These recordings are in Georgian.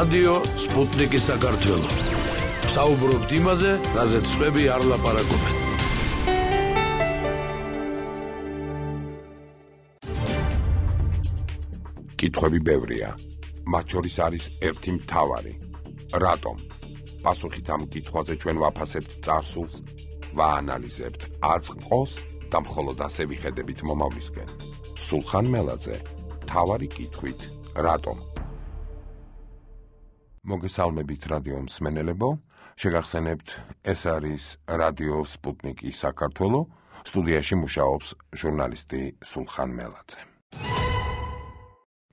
რადიო სპუტნიკი საქართველო. საუბრობთ იმაზე, რაზეც სხვები არ ლაპარაკობენ. კითხვები ბევრია. მათ შორის არის ერთი მთავარი. რატომ? პასუხით ამ კითხვაზე ჩვენ ვაფასებთ წარსულს, ვაანალიზებთ აწყყოს და მხოლოდ ასე ვიხედებით მომავლისკენ. სულხან მელაძე, მთავარი კითხვით, რატომ? მოგესალმებით რადიო მსმენელებო, შეგახსენებთ, ეს არის რადიო სპუტნიკი საქართველო, სტუდიაში მუშაობს ჟურნალისტი სულხან მელაძე.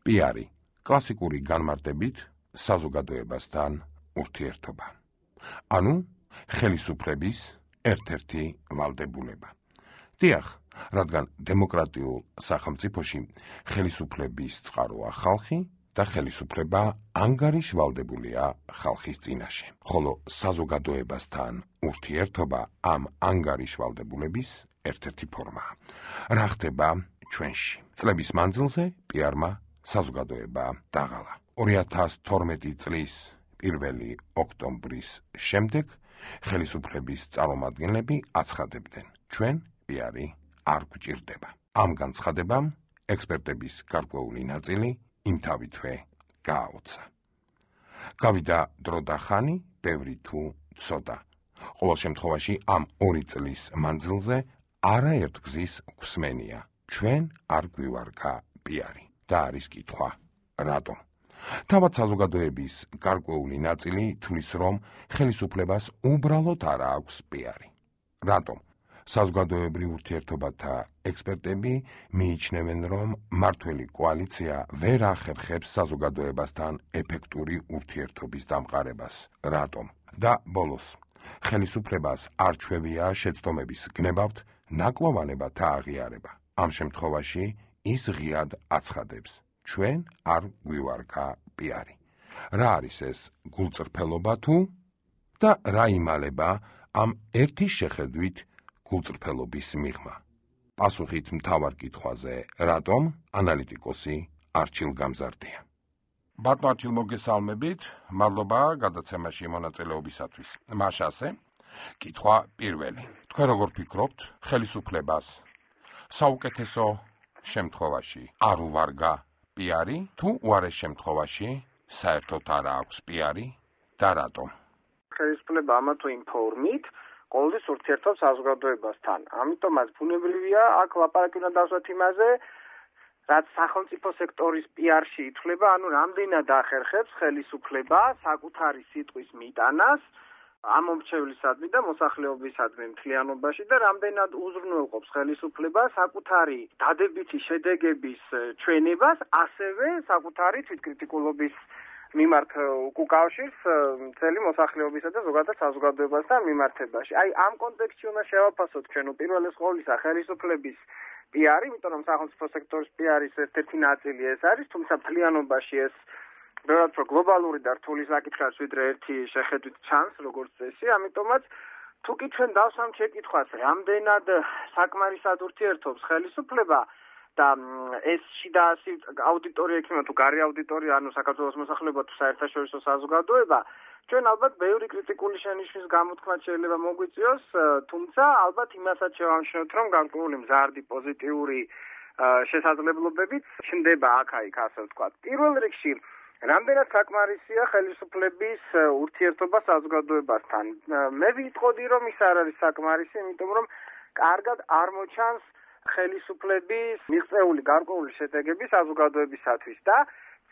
პიარი, კლასიკური განმარტებით, საზოგადოებასთან ურთიერთობა. ანუ, ხელისუფლების ერთ-ერთი ვალდებულება. დიახ, რადგან დემოკრატიულ სახელმწიფოში ხელისუფლების წყაროა ხალხი და ხელისუფლება ანგარიშვალდებულია ხალხის წინაშე. ხოლო საზოგადოებასთან ურთიერთობა ამ ანგარიშვალდებულების ერთ-ერთი ფორმაა. რა ხდება ჩვენში? წლების მანძილზე პიარმა საზოგადოება დაღალა. 2012 წლის 1 ოქტომბრის შემდეგ ხელისუფლების წარმომადგენლები აცხადებდნენ, ჩვენ პიარი არ გვჭირდება. ამ განცხადებამ ექსპერტების გარკვეული ნაწილი იმთავითვე გააოცა. გავიდა დრო და ხანი, ბევრი თუ ცოტა. ყოველ შემთხვევაში ამ 2 წლის მანძილზე არაერთ გზის გვსმენია, ჩვენ არ გვივარგა პიარი. და არის კითხვა, რატომ? თავად საზოგადოების გარკვეული ნაწილი თვლის, რომ ხელისუფლებას უბრალოდ არ აქვს პიარი. რატომ? საზოგადოებრივ ურთიერთობათა ექსპერტები მიიჩნევენ, რომ მმართველი კოალიცია ვერ ახერხებს საზოგადოებასთან ეფექტური ურთიერთობის დამყარებას. რატომ? და ბოლოს, ხელისუფლებას არჩევია შეცდომების გნებავთ ნაკლოვანებათა აღიარება. ამ შემთხვევაში ის ღიად აცხადებს, ჩვენ არ გვივარგა პიარი. რა არის ეს გულწრფელობა თუ? და რა იმალება ამ ერთი შეხედვით გულწრფელობის მიღმა? პასუხით მთავარ კითხვაზე, რატომ, ანალიტიკოსი არჩილ გამზარდია. ბატონო არჩილ, მოგესალმებით, მადლობა გადაცემაში მონაწილეობისათვის. მაშასე, კითხვა პირველი. თქვენ როგორ ფიქრობთ, ხელისუფლებას საუკეთესო შემთხვევაში არ უვარგა პიარი, თუ უარეს შემთხვევაში საერთოდ არ აქვს პიარი და რატომ? ხელისუფლება ამა თუ იმ ფორმით ყოველთვის ურთიერთობს საზოგადოებასთან. ამიტომაც ბუნებრივია აქ ლაპარაკი უნდა დავსვათ იმაზე, რაც სახელმწიფო სექტორის პიარში ითვლება, ანუ რამდენად ახერხებს ხელისუფლება საკუთარი სიტყვის მიტანას ამომრჩევლისადმი და მოსახლეობისადმი მთლიანობაში და რამდენად უზრუნველყოფს ხელისუფლება საკუთარი დადებითი შედეგების ჩვენებას, ასევე საკუთარი თვითკრიტიკულობის მიმართ უკავშირს მთელი მოსახლეობისა და ზოგადად საზოგადოებასთან მიმართებაში. აი ამ კონტექსტში უნდა შევაფასოთ ჩვენ უპირველეს ყოვლისა ხელისუფლების პიარი, იმიტომ რომ სახელმწიფო სექტორის პიარის ერთ-ერთი ნაწილი ეს არის, თუმცა მთლიანობაში ეს ბევრად უფრო გლობალური და რთული საკითხია, ვიდრე ერთი შეხედვით ჩანს, როგორც წესი, ამიტომაც თუ კი ჩვენ დავსვამთ შეკითხვას, რამდენად საკმარისად ურთიერთობს ხელისუფლება და ეს შიდა აუდიტორია იქნება თუ გარე აუდიტორია, ანუ საქართველოს მოსახლეობა თუ საერთაშორისო საზოგადოება, ჩვენ ალბათ ბევრი კრიტიკული შენიშვნის გამოთქმაც შეიძლება მოგვიწიოს, თუმცა ალბათ იმასაც შევამჩნევთ, რომ გარკვეული მზარდი პოზიტიური შესაძლებლობებით ჩნდება აქ-იქ, ასე ვთქვათ. პირველ რიგში რამდენად საკმარისია ხელისუფლების ურთიერთობა საზოგადოებასთან. მე ვიტყოდი, რომ ის არ არის საკმარისი, იმიტომ რომ კარგად არ მოჩანს ხელისუფლების მიღწეული გარკვეული შედეგები საზოგადოებისათვის და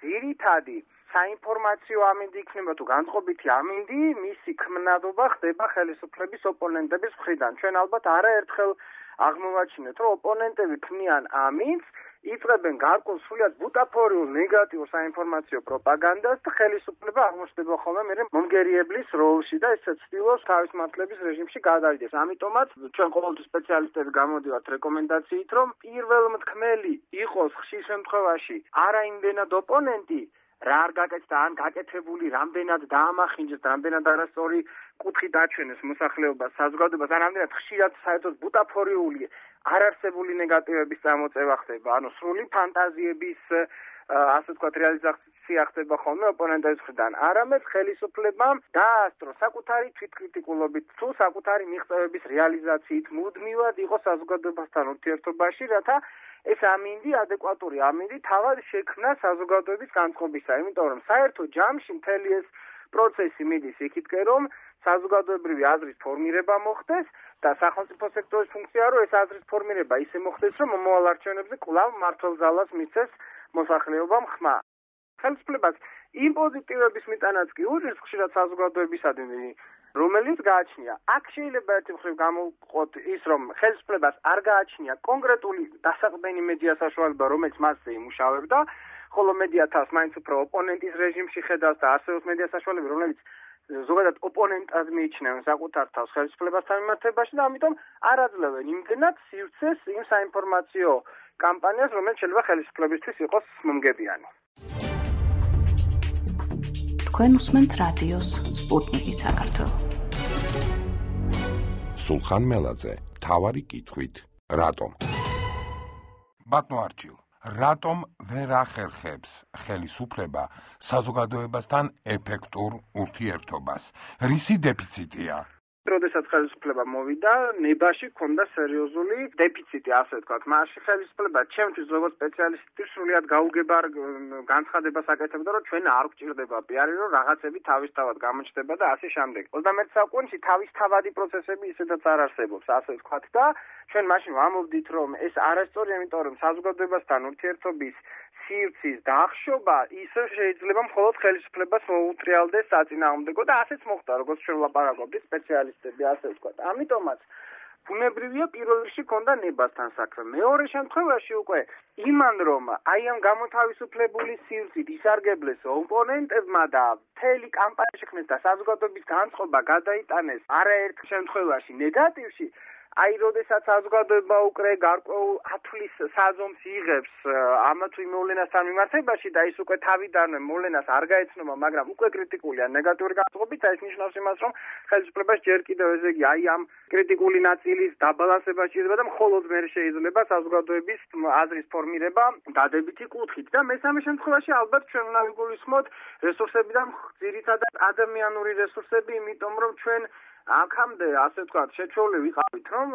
ძირითადი საინფორმაციო ამინდი იქნება თუ განწყობითი ამინდი, მისი ქმნადობა ხდება ხელისუფლების ოპონენტების მხრიდან. ჩვენ ალბათ არაერთხელ აღმოვაჩინეთ, რომ ოპონენტები ქმნიან ამინდს, იწყებენ გარკვეულ სრულიად ბუტაფორიულ ნეგატიურ საინფორმაციო პროპაგანდას და ხელისუფლება აღმოჩნდება ხოლმე მე მომგერიებლის როლში და ისე ცდილობს თავის მართლების რეჟიმში გადავიდეს. ამიტომაც ჩვენ ყოველთვის სპეციალისტები გამოდივართ რეკომენდაციით, რომ პირველმთქმელი იყოს ხშირ შემთხვევაში არა იმდენად ოპონენტი, რა არ გაკეთდა, ან გაკეთებული რამდენად დაამახინჯეს, რამდენად არასწორი კუთხით აჩვენეს მოსახლეობას, საზოგადოებას, ან რამდენად ხშირად საერთოდ ბუტაფორიული არარსებული ნეგატივების წამოწევა ხდება, ანუ სრული ფანტაზიების ასე ვთქვათ რეალიზაცია ხდება ხოლმე ოპონენტების მხრიდან, არამედ ხელისუფლებამ დაასწრო საკუთარი თვითკრიტიკულობით თუ საკუთარი მიღწევების რეალიზაციით მუდმივად იყო საზოგადოებასთან ურთიერთობაში, რათა ეს ამინდი, ადეკვატური ამინდი თავად შექმნა საზოგადოების განწყობისა, იმიტომ რომ საერთო ჯამში მთელი ეს პროცესი მიდის იქითკენ, რომ საზოგადოებრივი აზრის ფორმირება მოხდეს და სახელმწიფო სექტორის ფუნქციაა, რომ ეს აზრის ფორმირება ისე მოხდეს, რომ მომავალ არჩევნებზე კვლავ მმართველ ძალას მისცეს მოსახლეობამ ხმა. ხელისუფლებას იმ პოზიტივების მიტანაც კი უჭირს ხშირად საზოგადოებისადმი, რომელიც გააჩნია. აქ შეიძლება ერთი მხრივ გამოვყოთ ის, რომ ხელისუფლებას არ გააჩნია კონკრეტული დასაყრდენი მედია საშუალება, რომელიც მასზე იმუშავებდა, ხოლო მედია თავს მაინც უფრო ოპონენტის რეჟიმში ხედავს და არსებობს მედია საშუალება, რომელიც ზოგადად ოპონენტად მიიჩნევენ საკუთარ თავს ხელისუფლებასთან მიმართებაში და ამიტომ არ აძლევენ იმდენად სივრცეს იმ საინფორმაციო კამპანიას, რომელიც შეიძლება ხელისუფლებისთვის იყოს მომგებიანი. თქვენ უსმენთ რადიოს სპუტნიკი საქართველო. სულხან მელაძე, მთავარი კითხვით, რატომ? ბატონო არჩილ, რატომ ვერ ახერხებს ხელისუფლება საზოგადოებასთან ეფექტურ ურთიერთობას? რისი დეფიციტია? როდესაც ხელისუფლება მოვიდა, ნებაში ჰქონდა სერიოზული დეფიციტი, ასე ვთქვათ. მაშინ ხელისუფლება ჩემთვის როგორც სპეციალისტის სრულიად გაუგებარ განცხადებას აკეთებდა, რომ ჩვენ არ გვჭირდება პიარი, რომ რაღაცები თავისთავად გამოჩნდება და ასე შემდეგ. 21 საუკუნეში თავისთავადი პროცესები ისედაც არ არსებობს, ასე ვთქვათ და ჩვენ მაშინ ვამოვდით, რომ ეს არასწორია, იმიტომ რომ საზოგადოებასთან ურთიერთობის სივრცის დაახშობა ისე შეიძლება მხოლოდ ხელისუფლებას მოუტრიალდეს საწინააღმდეგო და ასეც მოხდა, როგორც ჩვენ ვლაპარაკობდით სპეციალისტები, ასე ვთქვათ. ამიტომაც ბუნებრივია პირველ რიგში ქონდა ნებასთან საქმე. მეორე შემთხვევაში უკვე იმან რომ აი ამ გამოთავისუფლებული სივრცით ისარგებლეს ოპონენტებმა და მთელი კამპანია შექმნეს და საზოგადოების განწყობა გადაიტანეს არაერთ შემთხვევაში ნეგატივში, აი როდესაც საზოგადოება უკვე გარკვეულ ათვლის საზომს იღებს ამა თუ იმ მოვლენასთან მიმართებაში და ის უკვე თავიდანვე მოვლენას არ გაეცნობა, მაგრამ უკვე კრიტიკულია ნეგატიური განწყობით, ეს ნიშნავს იმას, რომ ხელისუფლებას ჯერ კიდევ ესე იგი აი ამ კრიტიკული ნაწილის დაბალანსება შეიძლება და მხოლოდ მე შეიძლება საზოგადოების აზრის ფორმირება დადებითი კუთხით და მესამე შემთხვევაში ალბათ ჩვენ უნდა ვიგულისხმოთ რესურსები და ძირითადად ადამიანური რესურსები, იმიტომ რომ ჩვენ აქამდე ასე ვთქვათ შეჩეული ვიყავით, რომ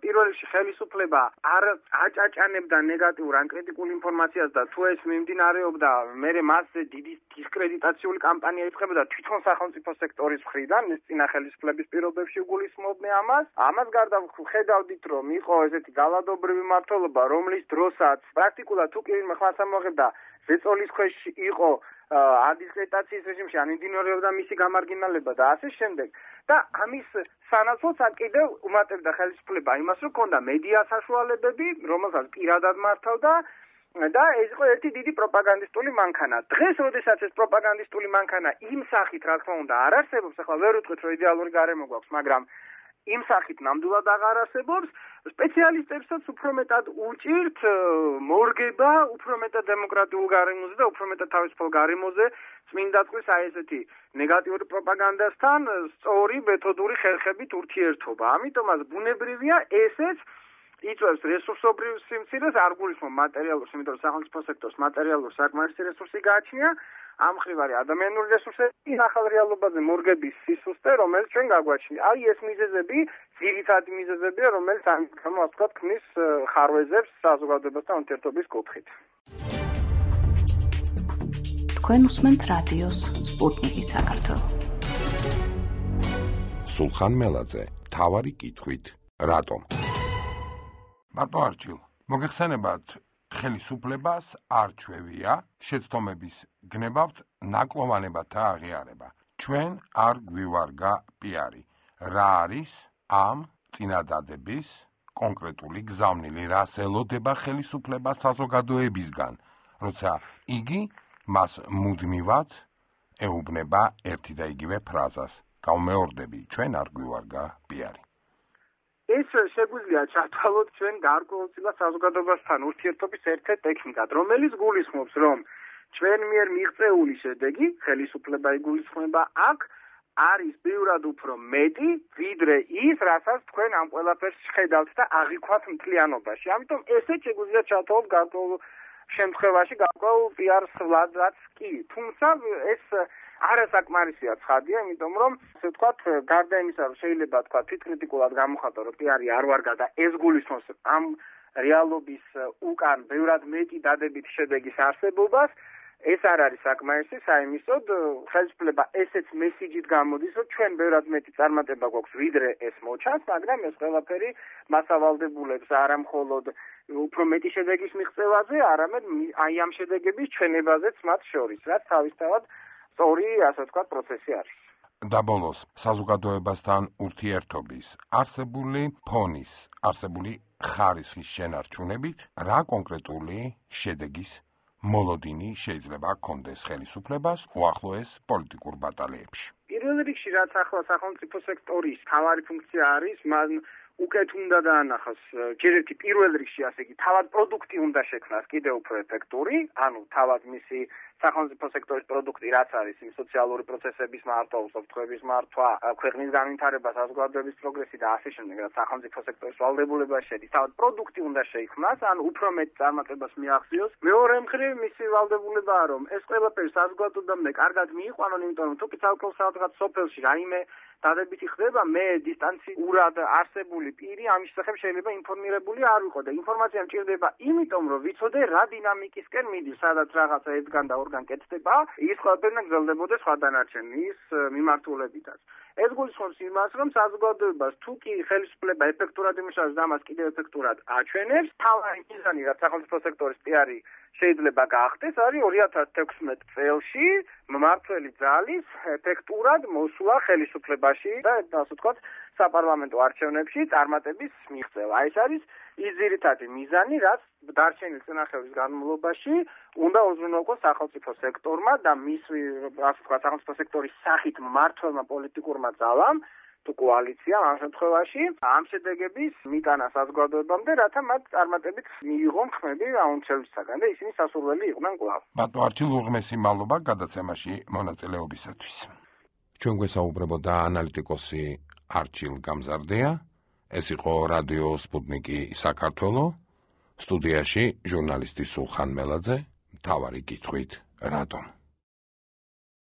პირველ რიგში ხელისუფლება არ აჭაჭანებდა ნეგატიურ ან კრიტიკულ ინფორმაციას და თუ ეს მიმდინარეობდა, მერე მასზე დიდი დისკრედიტაციული კამპანია იწყებოდა თვითონ სახელმწიფო სექტორის მხრიდან, ეს წინა ხელისუფლების პირობებში უგულისხმობდნენ ამას. ამას გარდა ხედავდით, რომ იყო ესეთი გალადობრივი მმართველობა, რომლის დროსაც პრაქტიკულად თუ კი ვინმე ხმას ამოღებდა ზეწოლის ქვეშ იყო ადისკრედიტაციის რეჟიმში ან იმდინარეობდა მისი გამარგინალება და ასე შემდეგ. და ამის სანაცვლოდ კიდევ უმატებდა ხელისუფლება იმას, რომ ქონდა მედია საშუალებები, რომელსაც პირადად მართავდა და ეს იყო ერთი დიდი პროპაგანდისტული მანქანა. დღეს, როდესაც ეს პროპაგანდისტული მანქანა იმ სახით, რა თქმა უნდა, არ არსებობს, ახლა ვერ ვიტყვით, რომ იდეალური გარემო გვაქვს, მაგრამ იმ სახით ნამდვილად აღარ არსებობს, სპეციალისტებსაც უფრო მეტად უჭირთ მორგება, უფრო მეტად დემოკრატიულ გარემოზე და უფრო მეტად თავისუფალ გარემოზე წმინდა წყლის აი ესეთი ნეგატიური პროპაგანდასთან სწორი მეთოდური ხერხებით ურთიერთობა. ამიტომაც ბუნებრივია ესეც იწვევს რესურსობრივ სიმცირეს, არ გულისხმობ მატერიალურს, იმიტომ რომ სახელმწიფო სექტორს მატერიალური საკმარისი რესურსი გააჩნია. ამ მხრივ არის ადამიანური რესურსები, ახალ რეალობაზე მორგების სისუსტე, რომელიც ჩვენ გაგვაჩნია. აი ეს მიზეზები, ძირითადი მიზეზებია, რომელიც ამ გამო ასე ვთქვათ, ქმნის ხარვეზებს საზოგადოებასთან ურთიერთობის კუთხით. თქვენ უსმენთ რადიოს სპუტნიკი საქართველო. სულხან მელაძე, მთავარი კითხვით, რატომ? ბატონო არჩილ, მოგეხსენებათ ხელისუფლებას არჩევია შეცდომების გნებავთ ნაკლოვანებათა აღიარება. ჩვენ არ გვივარგა პიარი. რა არის ამ წინადადების კონკრეტული გზავნილი, რას ელოდება ხელისუფლება საზოგადოებისგან, როცა იგი მას მუდმივად ეუბნება ერთი და იგივე ფრაზას. გავმეორდები, ჩვენ არ გვივარგა პიარი. ეს შეგვიძლია ჩათვალოთ ჩვენ გარკვეულწილად საზოგადოებასთან ურთიერთობის ერთ-ერთ ტექნიკად, რომელიც გულისხმობს, რომ ჩვენ მიერ მიღწეული შედეგი, ხელისუფლება იგულისხმება აქ, არის ბევრად უფრო მეტი, ვიდრე ის, რასაც თქვენ ამ ყველაფერს ხედავთ და აღიქვათ მთლიანობაში. ამიტომ ესეც შეგვიძლია ჩათვალოთ გარკვეულ შემთხვევაში გარკვეულ პიარს ვლადაც კი. თუმცა ეს არასაკმარისია ცხადია, იმიტომ რომ ასე ვთქვათ, გარდა იმისა, რომ შეიძლება თქვა თვითკრიტიკულად გამოხატო, რომ პიარი არ ვარგა და ეს გულისხმობს ამ რეალობის უკან ბევრად მეტი დადებითი შედეგის არსებობას, ეს არ არის საკმარისი, საიმისოდ ხელისუფლება ესეც მესიჯით გამოდის, რომ ჩვენ ბევრად მეტი წარმატება გვაქვს, ვიდრე ეს მოჩანს, მაგრამ ეს ყველაფერი მასავალდებულებს არა მხოლოდ უფრო მეტი შედეგის მიღწევაზე, არამედ აი ამ შედეგების ჩვენებაზეც მათ შორის, რაც თავისთავად სწორი, ასე ვთქვათ, პროცესი არის. და ბოლოს, საზოგადოებასთან ურთიერთობის არსებული ფონის, არსებული ხარისხის შენარჩუნებით, რა კონკრეტული შედეგის მოლოდინი შეიძლება ჰქონდეს ხელისუფლებას უახლოეს პოლიტიკურ ბატალიებში? პირველ რიგში, რაც ახლა სახელმწიფო სექტორის მთავარი ფუნქცია არის, მან უკეთ უნდა დაანახოს ჯერ ერთი პირველ რიგში, ასე იგი, თავად პროდუქტი უნდა შექმნას კიდევ უფრო ეფექტური, ანუ თავად მისი სახელმწიფო სექტორის პროდუქტი, რაც არის იმ სოციალური პროცესების მართვა, უსაფრთხოების მართვა, ქვეყნის განვითარება, საზოგადოების პროგრესი და ასე შემდეგ, რაც სახელმწიფო სექტორის ვალდებულებაში შედის, თავად პროდუქტი უნდა შეიქმნას, ანუ უფრო მეტ წარმატებას მიაღწიოს. მეორე მხრივ, მისი ვალდებულებაა, რომ ეს ყველაფერი საზოგადოებამდე კარგად მიიყვანონ, იმიტომ რომ თუ კი ცალკეულ სადღაც სოფელში რაიმე დადებითი ხდება, მე დისტანციურად არსებული პირი ამის შესახებ შეიძლება ინფორმირებული არ ვიყო და ინფორმაცია მჭირდება იმიტომ, რომ ვიცოდე რა დინამიკისკენ მიდის, სადაც რაღაცა ერთგან და ორგან კეთდება, ის ყველაფერი გრძელდებოდეს სხვა დანარჩენის მიმართულებითაც. ეს გულისხმობს იმას, რომ საზოგადოებას თუ კი ხელისუფლება ეფექტურად იმუშავებს და ამას კიდევ ეფექტურად აჩვენებს, თავარი მიზანი, რაც სახელმწიფო სექტორის პიარი შეიძლება გაახდეს, არის 2016 წელში მმართველი ძალის ეფექტურად მოსვლა ხელისუფლებაში და ასე ვთქვათ, საპარლამენტო არჩევნებში წარმატების მიღწევა. ეს არის ის ძირითადი მიზანი, რაც დარჩენილ წინახევრის განმავლობაში უნდა უზრუნველყოს სახელმწიფო სექტორმა და მის, ასე ვთქვათ, სახელმწიფო სექტორის სახით მმართველმა პოლიტიკურმა ძალამ თუ კოალიციამ ამ შემთხვევაში ამ შედეგების მიტანა საზოგადოებამდე, რათა მათ წარმატებით მიიღონ ხმები აუნჩელისაგან და ისინი სასურველი იყვნენ კვლავ. ბატონო არჩილ უღმესი მადლობა გადაცემაში მონაწილეობისათვის. ჩვენ გვესაუბრებოდა ანალიტიკოსი არჩილ გამზარდეა. ეს იყო რადიო სპუტნიკი საქართველო. სტუდიაში ჟურნალისტი სულხან მელაძე. მთავარი კითხვით, რატომ?